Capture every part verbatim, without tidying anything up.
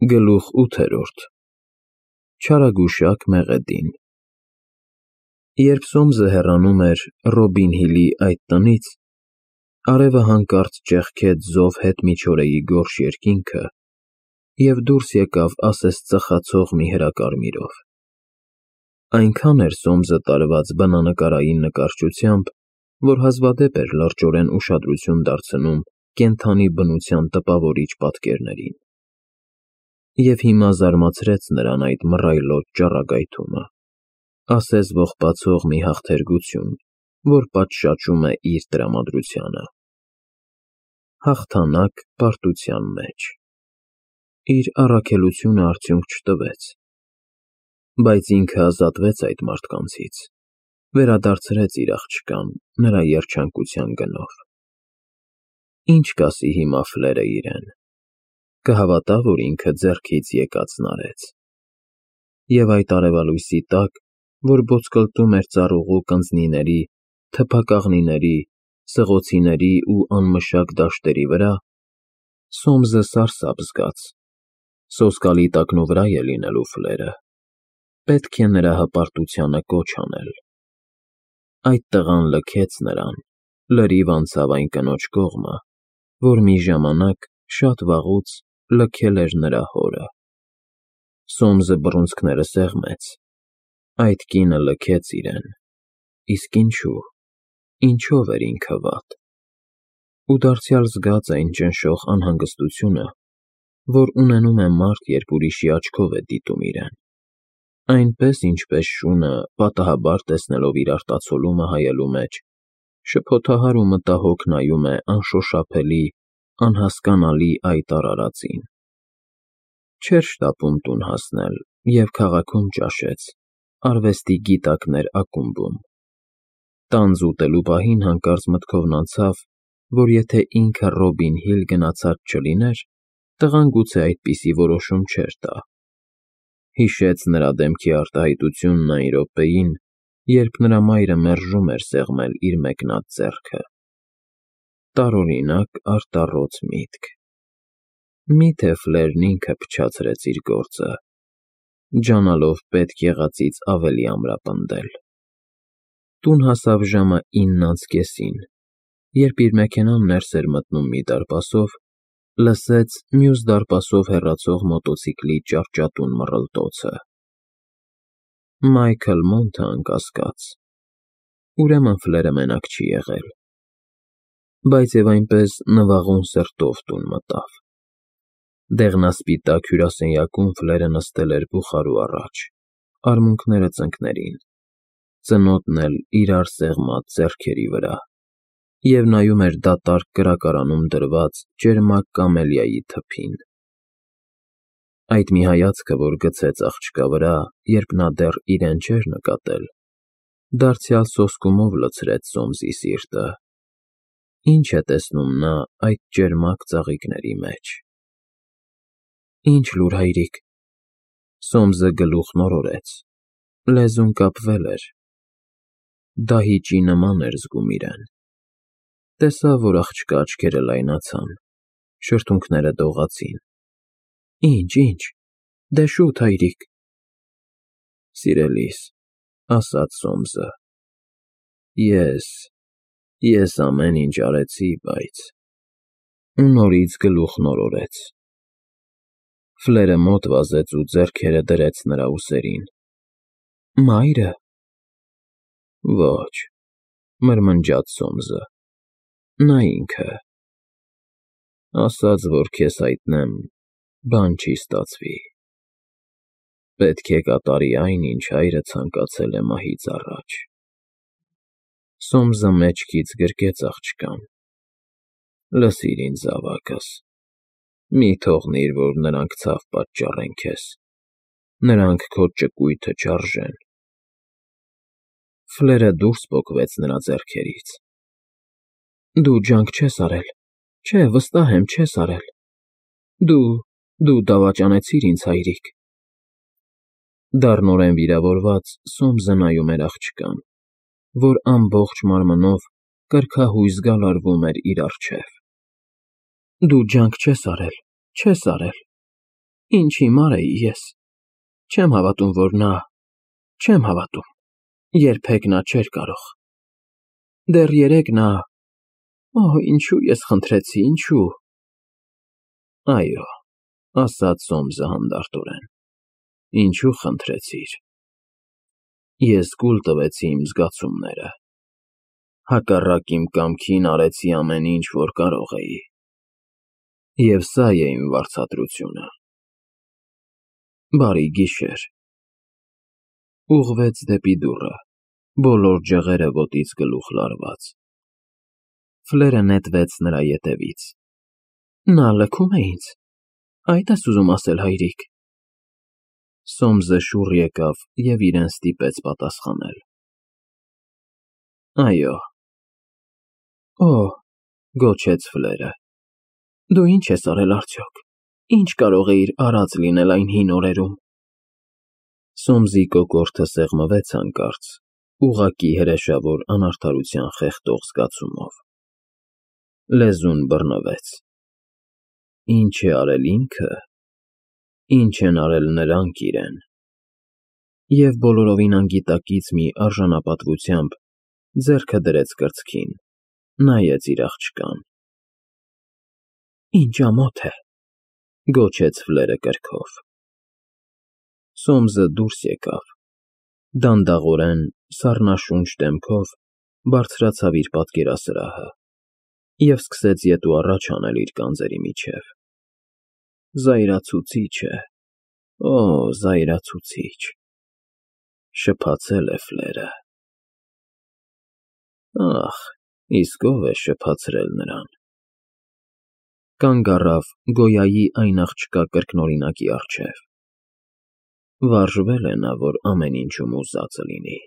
Գլուխ ութերորդ Չարագուշակ Մեղեդին Երբ Սոմսը հեռանում էր Ռոբին Հիլի այդ տնից, արևը հանկարծ ճեղքեց զով հետմիջօրեի գորշ երկինքը և դուրս եկավ ասես ծխացող մի հրակարմիրով. այնքան էր Սոմսը տարված բնանկարային նկարչությամբ, որ հազվադեպ էր լրջորեն ուշադրություն դարձնում կենդանի բնության տպավորիչ պատկերներին, և հիմա զարմացրեց նրան այդ մռայլոտ ճառագայթումը, ասես ողբացող մի հաղթերգություն, որ պատշաճում է իր տրամադրությանը, հաղթանակ պարտության մեջ, իր առաքելությունը արդյունք չտվեց, բայց ինքը ազատվեց այդ մարդկանցից, վերադարձրեց իր աղջկան նրա երջանկության գնով, ինչ կասի հիմա Ֆլերը իրեն, կհավատա, որ ինքը ձեռքից եկածն արեց, և այդ արևալույսի տակ, որ ոտկլտում էր ծառուղու կնձնիների, թփակաղնիների, սղոցիների ու անմշակ դաշտերի վրա, Սոմսը սարսափ զգաց, սոսկալի տակնուվրա է լինելու Ֆլերը, պետք է նրա հպարտությանը կոչ անել, այդ տղան լքեց նրան, լրիվ անցավ այն կնոջ կողմը, որ մի ժամանակ, շատ վաղուց, լքել էր նրա հորը, Սոմսը բռունցքները սեղմեց, այդ կինը լքեց իրեն, իսկ ինչու, ինչով էր ինքը վատ, ու դարձյալ զգաց այն ճնշող անհանգստությունը, որ ունենում է մարդ, երբ ուրիշի աչքով է դիտում իրեն, այնպես, ինչպես շունը, պատահաբար տեսնելով իր արտացոլումը հայելու մեջ, շփոթահար ու մտահոգ նայում է անշոշափելի, անհասկանալի այդ արարածին, չէր շտապում տուն հասնել և քաղաքում ճաշեց, արվեստի գիտակներ ակումբում, տանձ ուտելու պահին հանկարծ մտքովն անցավ, որ եթե ինքը Ռոբին Հիլ գնացած չլիներ, տղան գուցե այդպիսի որոշում չէր տա, հիշեց նրա դեմքի արտահայտությունն այն րոպեին, երբ նրա մայրը մերժում էր սեղմել իր մեկնած ձեռքը, տարօրինակ արտառոց միտք, միթե Ֆլերն ինքը փչացրեց իր գործը, ջանալով պետք եղածից ավելի ամրապնդել, տուն հասավ ժամը ինն անց կեսին, երբ իր մեքենան ներս էր մտնում մի դարպասով, լսեց մյուս դարպասով հեռացող մոտոցիկլի ճարճատուն մռլտոցը, Մայքլ Մոնթը անկասկած, ուրեմն Ֆլերը մենակ չի եղել, բայց և այնպես նվաղուն սրտով տուն մտավ, դեղնասպիտակ հյուրասենյակում Ֆլերը նստել էր բուխարու առաջ, արմունկները ծնկներին, ծնոտն էլ իրար սեղմած ձեռքերի վրա, և նայում էր դատարկ կրակարանում դրված ճերմակ կամելիայի թփին, այդ մի հայացքը, որ գցեց աղջկա վրա, երբ նա դեռ իրեն չէր նկատել, դարձյալ սոսկումով լցրեց Սոմսի սիրտը, ինչ է տեսնում նա այդ ճերմակ ծաղիկների մեջ, Ինչ լուր, հայրիկ, Սոմսը գլուխն օրորեց, լեզուն կապվել էր, դահիճի նման էր զգում իրեն, տեսավ, որ աղջկա աչքերը լայնացան, շրթունքները դողացին, Ինչ, ինչ, դե շուտ, հայրիկ, Սիրելիս, ասաց Սոմսը, ես, ես ամեն ինչ արեցի, բայց, ու նորից գլուխն օրորեց, Ֆլերը մոտ վազեց ու ձեռքերը դրեց նրա ուսերին, Մայրը… Ոչ, մրմնջաց Սոմսը, նա ինքը… ասաց, որ քեզ հայտնեմ, բան չի ստացվի, պետք է կատարի այն, ինչ հայրը ցանկացել է մահից առաջ, Սոմսը մեջքից գրկեց աղջկան, լսիր ինձ, զավակս, մի թողնիր, որ նրանք ցավ պատճառեն քեզ, նրանք քո ճկույթը չարժեն, Ֆլերը դուրս պոկվեց նրա ձեռքերից, Դու ջանք չես արել, չէ, վստահ եմ, չես արել, դու, դու դավաճանեցիր ինձ, հայրիկ, դառնորեն վիրավորված Սոմսը նայում էր աղջկան, որ ամբողջ մարմնով կրքահույս գալարվում էր իր առջև, Դու ջանք չես արել, չես արել, Ինչ հիմար էի ես։ Չեմ հավատում, որ նա… Չեմ հավատում, երբեք նա չէր կարող… Դեռ երեկ նա… Օհ, ինչու ես խնդրեցի, ինչու… Այո, ասաց Սոմսը հանդարտորեն, ինչու խնդրեցիր… Ես կուլ տվեցի իմ զգացումները, հակառակ իմ կամքին արեցի ամեն ինչ, որ կարող էի, և սա է իմ վարձատրությունը… Բարի գիշեր… Ուղղվեց դեպի դուռը, բոլոր ջղերը ոտից գլուխ լարված… Ֆլերը նետվեց նրա ետևից… Նա լքում է ինձ… Այդ ես ուզում ասել, հայրիկ… Սոմսը շուռ եկավ և իրեն ստիպեց պատասխանել… Այո… Օհ, գոչեց Ֆլերը… Դու ինչ ես արել արդյոք… Ինչ կարող էիր արած լինել այն հին օրերում… Սոմսի կոկորդը սեղմվեց հանկարծ, ուղղակի հրեշավոր անարդարության խեղդող զգացումով… Լեզուն բռնվեց… Ինչ է արել ինքը, ինչ են արել նրանք իրեն… Եվ բոլորովին անգիտակից մի արժանապատվությամբ ձեռքը դրեց կրծքին, նայեց իր աղջկան… Ինչ ամոթ է… Գոչեց Ֆլերը կրքով… Սոմսը դուրս եկավ, դանդաղորեն, սառնաշունչ դեմքով բարձրացավ իր պատկերասրահը և սկսեց ետ ու առաջ անել իր գանձերի միջև… Զայրացուցիչ է… Օ, զայրացուցիչ… Շփացել է Ֆլերը… Ախ, իսկ ո՞վ է շփացրել նրան… Կանգ առավ Գոյայի այն աղջկա կրկնօրինակի առջև… Վարժվել է նա, որ ամեն ինչում ուզածը լինի…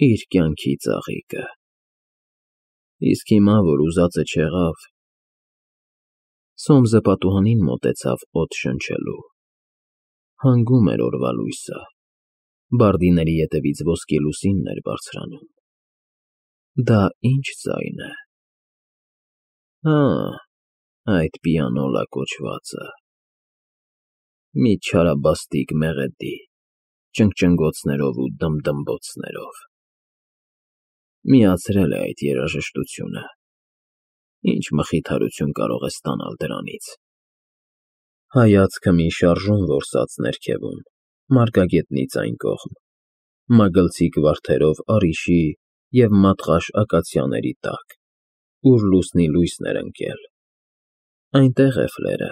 Իր կյանքի ծաղիկը… Իսկ հիմա, որ ուզածը չեղավ… Սոմսը պատուհանին մոտեցավ օդ շնչելու… Հանգում էր օրվա լույսը… Բարդիների ետևից ոսկի լուսինն էր բարձրանում… Դա ի՞նչ ձայն է… Հա, այդ պիանոլա կոչվածը… Մի չարաբաստիկ մեղեդի, ճնգճնգոցներով ու դմդմբոցներով… Միացրել է այդ երաժշտությունը… Ինչ մխիթարություն կարող է ստանալ դրանից… Հայացքը մի շարժում որսաց ներքևում, մարգագետնից այն կողմ, մագլցիկ վարդերով առիշի և մատղաշ ակացիաների տակ, ուր լուսնի լույսն էր ընկել… Այնտեղ է Ֆլերը,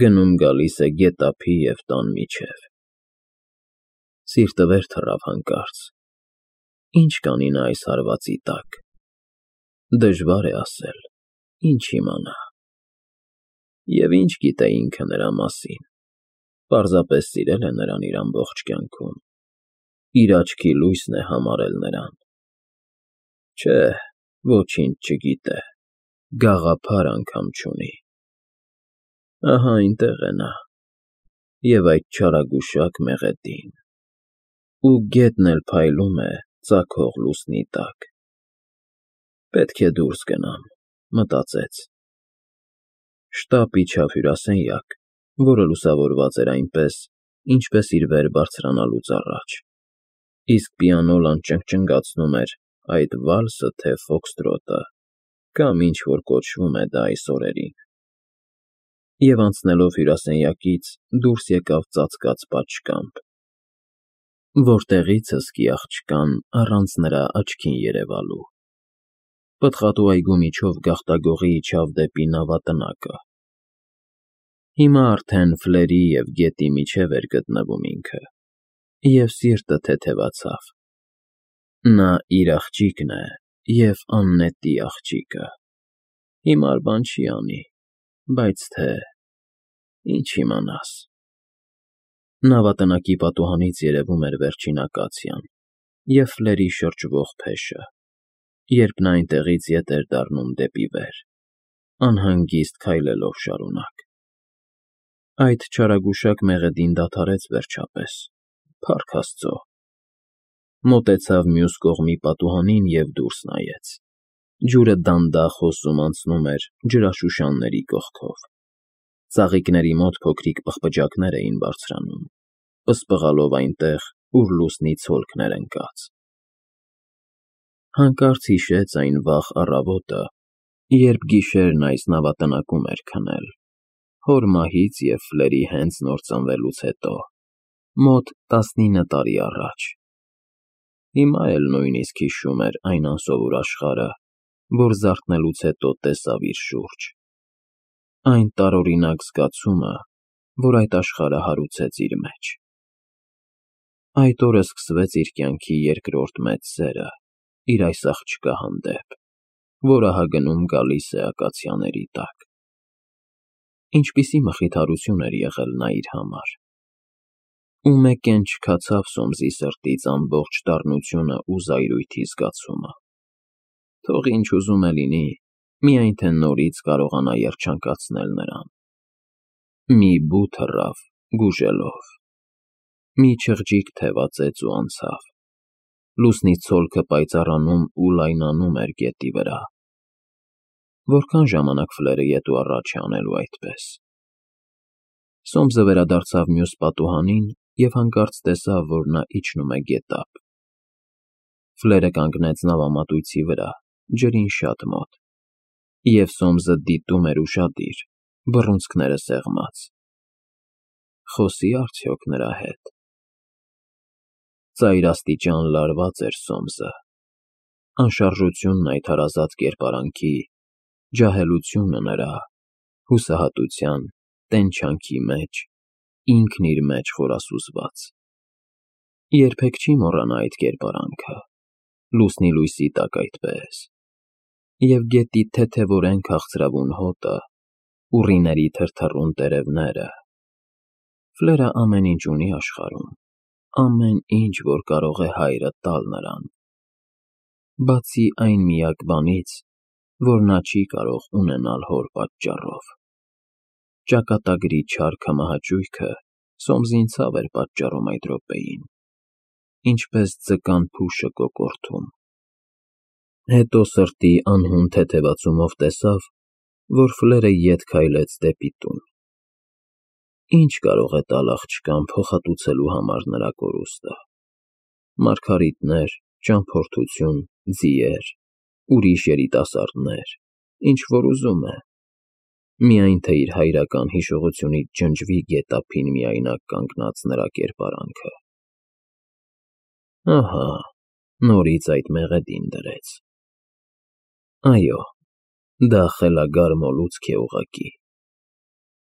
գնում֊գալիս է գետափի և տան միջև… Սիրտը վեր թռավ հանկարծ… Ի՞նչ կանի նա այս հարվածի տակ… Դժվար է ասել, ինչ իմանա… Եվ ինչ գիտե ինքը նրա մասին… Պարզապես սիրել է նրան իր ամբողջ կյանքում… Իր աչքի լույսն է համարել նրան… Չէ, ոչինչ չգիտե, գաղափար անգամ չունի… Ահա այնտեղ է նա… Եվ այդ չարագուշակ մեղեդին… Ու գետն էլ փայլում է ծագող լուսնի տակ… Պետք է դուրս գնամ, մտածեց… Շտապ իջավ հյուրասենյակ, որը լուսավորված էր այնպես, ինչպես իր վեր բարձրանալուց առաջ, իսկ պիանոլան ճնգճնգացնում էր այդ վալսը թե ֆոքսթրոտը, կամ ինչ֊որ կոչվում է դա այս օրերին… Եվ անցնելով հյուրասենյակից դուրս եկավ ծածկած պատշգամբ, որտեղից հսկի աղջկան առանց նրա աչքին երևալու… Պտղատու այգու միջով գաղտագողի իջավ դեպի նավատնակը… Հիմա արդեն Ֆլերի և գետի միջև էր գտնվում ինքը… Եվ սիրտը թեթևացավ… Նա իր աղջիկն է և աննետի աղջիկը… Հիմար բան չի անի, բայց թե… Ինչ իմանաս… Նավատնակի պատուհանից երևում էր վերջին ակացիան և Ֆլերի շրջվող փեշը, երբ նա այնտեղից ետ էր դառնում դեպի վեր, անհանգիստ քայլելով շարունակ… Այդ չարագուշակ մեղեդին դադարեց վերջապես, փառք Աստծո… Մոտեցավ մյուս կողմի պատուհանին և դուրս նայեց… Ջուրը դանդաղ հոսում անցնում էր ջրաշուշանների կողքով… Ծաղիկների մոտ փոքրիկ պղպջակներ էին բարձրանում, պսպղալով այնտեղ, ուր լուսնի ցոլքն էր ընկած։ Հանկարծ հիշեց այն վաղ առավոտը, երբ գիշերն այս նավատնակում էր քնել, հոր մահից և Ֆլերի հենց նոր ծնվելուց հետո, մոտ տասնինը տարի առաջ։ Հիմա էլ նույնիսկ հիշում էր այն անսովոր աշխարհը, որ զարթնելուց հետո տեսավ իր շուրջ, այն տարօրինակ զգացումը, որ այդ աշխարհը հարուցեց իր մեջ։ Այդ օրը սկսվեց իր կյանքի երկրորդ մեծ սերը իր այս աղջկա հանդեպ, որ ահագնում գալիս է ակացիաների տակ։ Ինչպիսի մխիթարություն էր եղել նա իր համար։ Ու մեկ էլ չքացավ Սոմսի սրտից ամբողջ դառնությունը ու զայրույթի զգացումը։ Թող ինչ ուզում է լինի, միայն թե նորից կարողանա երջանկացնել նրան։ Մի բու թռավ, գուժելով։ Մի չղջիկ թևածեց ու անցավ։ Լուսնի ցոլքը պայծառանում ու լայնանում էր գետի վրա։ Որքան ժամանակ Ֆլերը ետ ու առաջ է անելու այդպես։ Սոմսը վերադարձավ մյուս պատուհանին և հանկարծ տեսավ, որ նա իջնում է գետափ։ Ֆլերը կանգնեց նավամատույցի վրա, ջրին շատ մոտ, և Սոմսը դիտում էր ուշադիր, բռունցքները սեղմած։ Խոսի՞ արդյոք նրա հետ։ Ծայրաստիճան լարված էր Սոմսը։ Անշարժությունն այդ հարազատ կերպարանքի, ջահելությունը նրա, հուսահատության, տենչանքի մեջ, ինքն իր մեջ խորասուզված։ Երբեք չի մոռանա այդ կերպարանքը, լուսնի լույսի տակ այդպես, և գետի թեթևորեն քաղցրավուն հոտը, ուռիների թրթռուն տերևները։ Ֆլերը ամեն ինչ ունի աշխարհում, ամեն ինչ, որ կարող է հայրը տալ նրան, բացի այն միակ բանից, որ նա չի կարող ունենալ հոր պատճառով։ Ճակատագրի չար քմահաճույքը Սոմսին ցավ էր պատճառում այդ րոպեին, ինչպես ձկան փուշը կոկորդում։ Հետո սրտի անհուն թեթևացումով տեսավ, որ Ֆլերը ետ քայլեց դեպի տուն։ Ինչ կարող է տալ աղջկան փոխհատուցելու համար նրա կորուստը։ Մարգարիտներ, ճամփորդություն, ձիեր, ուրիշ երիտասարդներ, ինչ որ ուզում է։ Միայն թե իր հայրական հիշողությունից ջնջվի գետափին միայնակ կանգնած նրա կերպարանքը։ Ահա, նորից այդ մեղեդին դրեց։ Այո, դա խելագար մոլուցք է ուղղակի։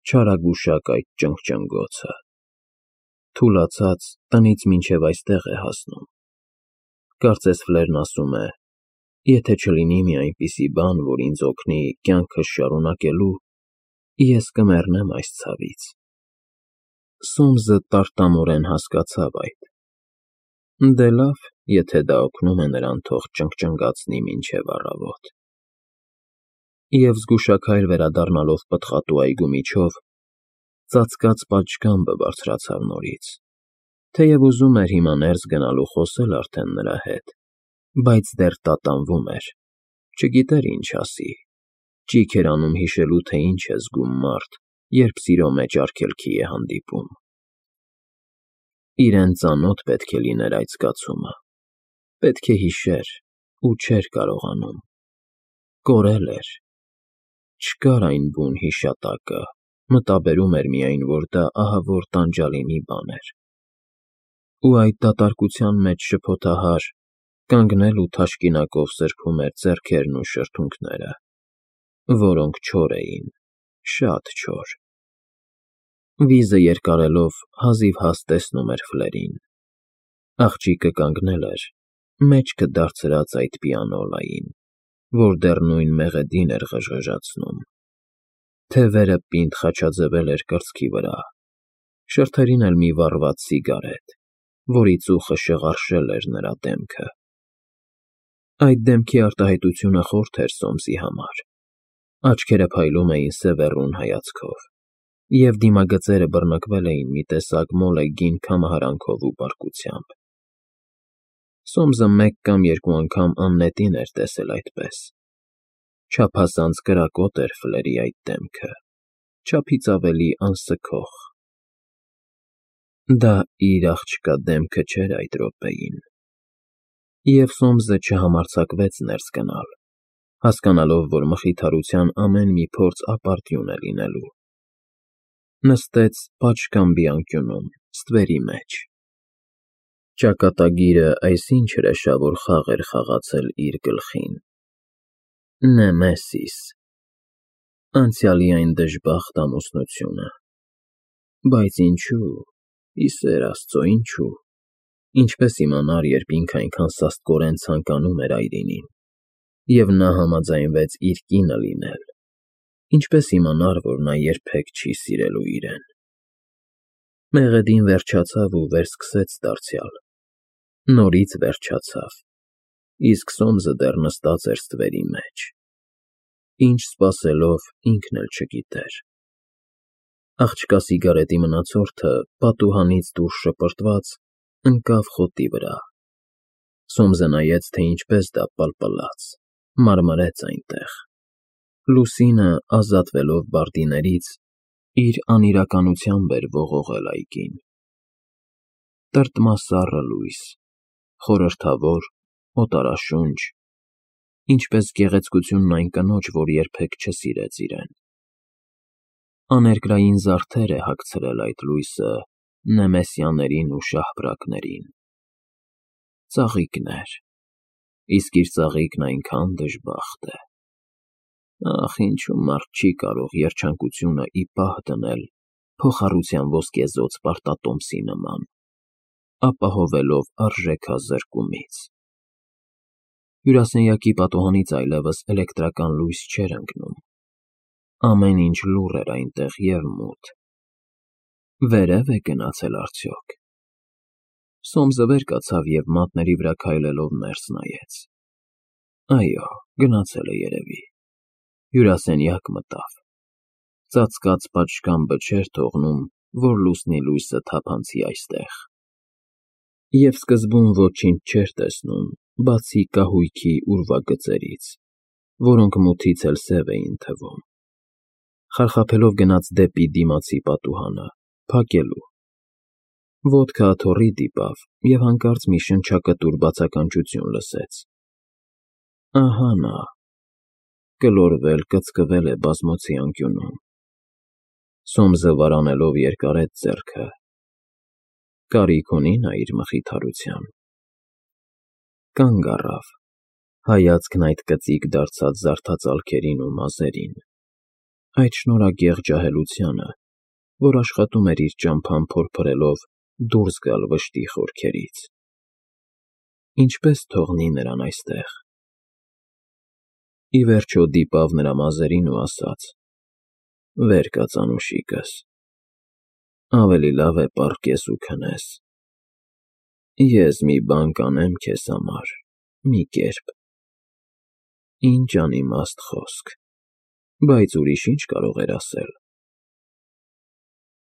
Չարագուշակ այդ ճնգճնգոցը։ Թուլացած, տնից մինչև այստեղ է հասնում։ Կարծես Ֆլերն ասում է. «Եթե չլինի մի այնպիսի բան, որ ինձ օգնի կյանքս շարունակելու, ես կմեռնեմ այս ցավից»։ Սոմսը տարտամորեն հասկացավ այդ։ Դե լավ, եթե դա օգնում է նրան, թող ճնգճնգացնի մինչև առավոտ։ Եվ զգուշաքայլ վերադառնալով պտղատու այգու միջով, ծածկած պատշգամբը բարձրացավ նորից։ Թեև ուզում էր հիմա ներս գնալ ու խոսել արդեն նրա հետ, բայց դեռ տատանվում էր, չգիտեր ինչ ասի, ճիգ էր անում հիշելու, թե ինչ է զգում մարդ, երբ սիրո մեջ արգելքի է հանդիպում։ Իրեն ծանոթ պետք է լիներ այդ զգացումը, պետք է հիշեր ու չէր կարողանում։ Կորել էր։ Չկար այն բուն հիշատակը, մտաբերում էր միայն, որ դա ահավոր տանջալի մի բան էր։ Ու այդ դատարկության մեջ շփոթահար, կանգնել ու թաշկինակով սրբում էր ձեռքերն ու շրթունքները, որոնք չոր էին, շատ չոր։ Վիզը երկարելով հազիվ հաս տեսնում էր Ֆլերին։ Աղջիկը կանգնել էր, մեջքը դարձրած այդ պիանոլային, որ դեռ նույն մեղեդին էր ղժղժացնում։ Թևերը պինդ խաչաձևել էր կրծքի վրա, շրթերին էլ մի վառված սիգարետ, որի ծուխը շղարշել էր նրա դեմքը։ Այդ դեմքի արտահայտությունը խորթ էր Սոմսի համար։ Աչքերը փայլում էին սևեռուն հայացքով, և դիմագծերը բռնկվել էին մի տեսակ մոլեգին քամահարանքով ու բարկությամբ։ Սոմսը մեկ կամ երկու անգամ աննետին էր տեսել այդպես։ Չափազանց կրակոտ էր Ֆլերի այդ դեմքը, չափից ավելի անսքող։ Դա իր աղջկա դեմքը չէր այդ րոպեին, և Սոմսը չհամարձակվեց ներս գնալ, հասկանալով, որ մխիթարության ամեն մի փորձ ապարդյուն է լինելու։ Նստեց պատշգամբի անկյունում, ստվերի մեջ։ Ճակատագիրը այսինչ հրեշավոր խաղ էր խաղացել իր գլխին. Նեմեսիս, անցյալի այն դժբախտ ամուսնությունը։ Բայց ինչու՞, ի սեր Աստծո, ինչու՞։ Ինչպես իմանար, երբ ինքը այնքան սաստկորեն ցանկանում էր այրինին, և նա համաձայնվեց իր կինը լինել, ինչպես իմանար, որ նա երբեք չի սիրելու իրեն։ Մեղեդին վերջացավ ու վերսկսեց դարձյալ, նորից վերջացավ, իսկ Սոմսը դեռ նստած էր ստվերի մեջ։ Ինչ սպասելով, ինքն էլ չգիտեր։ Աղջկա սիգարետի մնացորդը, պատուհանից դուրս շպրտված, ընկավ խոտի վրա։ Սոմսը նայեց, թե ինչպես դա պլպլաց, մարմրեց այնտեղ։ Լուսինը, ազատվելով բարդիներից, իր անիրականությամբ էր ողողել այգին։ Տրտմասառը լույս, խորհրդավոր, օտարաշունչ, ինչպես գեղեցկությունն այն կնոջ, որ երբեք չսիրեց իրեն։ Աներկրային զարդեր է հագցրել այդ լույսը նեմեսյաներին ու շահբրակներին։ Ծաղիկներ, իսկ իր ծաղիկն այնքան դժբախտ է։ Ախ, ինչու մարդ չի կարող երջանկությունը ի պահ դնել փոխառության ոսկեզօծ պարտատոմսի նման, ապահովելով արժեքազրկումից։ Հյուրասենյակի պատուհանից այլևս էլեկտրական լույս չէր ընկնում։ Ամեն ինչ լուռ էր այնտեղ և մութ։ Վերև է գնացել արդյոք։ Սոմսը վեր կացավ և մատների վրա քայլելով ներս նայեց։ Այո, գնացել է երևի։ Հյուրասենյակ մտավ։ Ծածկած պատշգամբը չէր թողնում, որ լուսնի լույսը թափանցի այստեղ։ Եվ սկզբում ոչինչ չէր տեսնում, բացի կահույքի ուրվագծերից, որոնք մութից էլ սև էին թվում։ Խարխափելով գնաց դեպի դիմացի պատուհանը, փակելու։ Ոտքը աթոռի դիպավ և հանկարծ մի շնչակտուր բացականչություն լսեց։ Ահա նա, գլորվել, կծկվել է բազմոցի անկյունում։ Սոմսը վարանելով երկարեց ձեռքը։ Կարիք ունի նա իր մխիթարության։ Կանգ առավ, հայացքն այդ կծիկ դարձած զարդածալքերին ու մազերին, այդ շնորհագեղ ջահելությանը, որ աշխատում էր իր ճամփան փորփրելով դուրս գալ վշտի խորքերից։ Ինչպե՞ս թողնի նրան այստեղ։ Ի վերջո դիպավ նրա մազերին ու ասաց. Վեր կաց, անուշիկս, ավելի լավ է պառկես ու քնես։ Ես մի բան կանեմ քեզ համար, մի կերպ։ Ինչ անիմաստ խոսք, բայց ուրիշ ինչ կարող էր ասել։